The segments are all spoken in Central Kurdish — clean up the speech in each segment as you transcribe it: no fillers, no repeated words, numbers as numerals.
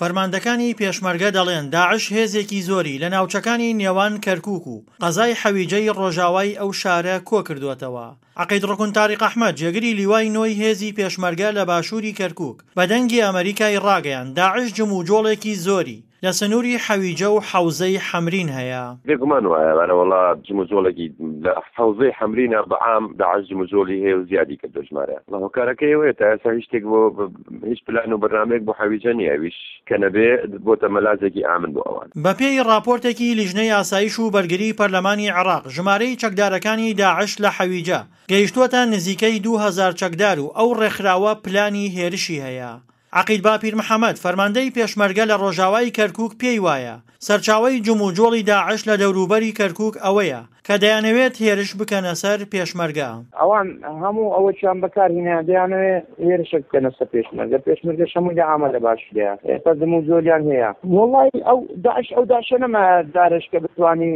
فەرماندەکانی پێشمەرگە دەڵێن داعش هێزێکی زۆری لە ناوچەکانی نێوان کەرکوک و قەزای حەویجەی ڕۆژاوای ئەو شارە کۆکردووەتەوە. عەقید ڕوکن تاریق ئەحمەد جێگری لیوای نۆی هێزی پێشمەرگە لە باشووری کەرکوک بە دەنگی ئەمەریکای ڕاگەیاند داعش جموجۆڵێکی زۆری لە سنووری حەویجە و حەوزەی حەمرین هەیە. بێگومان وایە ئەرەوەڵا جموجۆڵێکی لە حەوزەی حەمرینە بە عام داعش جموجۆڵی هەیە و زیادی کردووە ژمارەیان. وەڵا هۆکارەکەی ئەوەیە تا ئێستا هیچ شتێک بۆ هیچ پلان و بەرنامەیەک بۆ حەویجە نییە ئەویش کە نەبێ بۆتە مەلازێکی ئامن بۆ ئەوان. بەپێی ڕاپۆرتێکی لیژنەی ئاسایش و بەرگری پەرلەمانی عێراق، ژمارەی چەکدارەکانی داعش لە حەویجە گەیشتووەتە نزیکەی 2000 چەکدار و ئەو ڕێکخراوە پلانی هێرشی هەیە. عەقید باپیر محەمەد، فەرماندەی پێشمەرگە لە ڕۆژاوای کەرکوک پێی وایە، سەرچاوەی جموجۆڵی داعش لە دەوروبەری کەرکوک ئەوەیە کە دەیانەوێت هێرش بکەنە سەر پێشمەرگە. ئەوان هەموو ئەوەکیان بەکار هینا دەیانەوێت هێرشێک بکەنە سەر پێشمەرگە، پێشمەرگەش هەمووی لە ئامادە باشیدایە، ئێستا جموجۆلیان هەیە. وەڵای ئەو داعش ئەو داعشە نەمایە جارێش کە بتوانی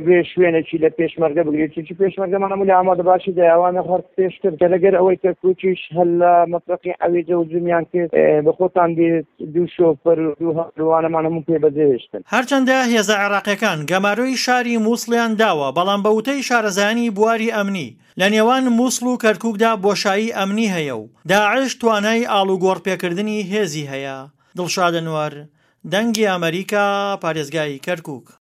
بێ شوێنێکی لە پێشمەرگە بگرێت، چونکی پێشمەرگەمان هەموو لە ئامادە باشیدایە، ئەوانە هەر پێشتر کە لەگەر ئەوەی کەرکوکیش هەر لە مەفرەقی حەویجە هجومیان کرد بە خۆتان بیت دوو شۆفەر و دوو هاوڕێوانەمان هەموو پێ بەجێهێشتن. هەرچەندە هێزە عێراقیەکان گەمارۆی شاری موسڵیان داوە، بەڵام بە وتەی شارەزایانی بواری ئەمنی، لە نێوان موسڵ و کەرکوکدا بۆشایی ئەمنی هەیە و داعش توانای ئاڵوگۆڕپێکردنی هێزی هەیە. دڵشاد ئەنوەر، دەنگی ئەمەریکا، پارێزگای کەرکوک.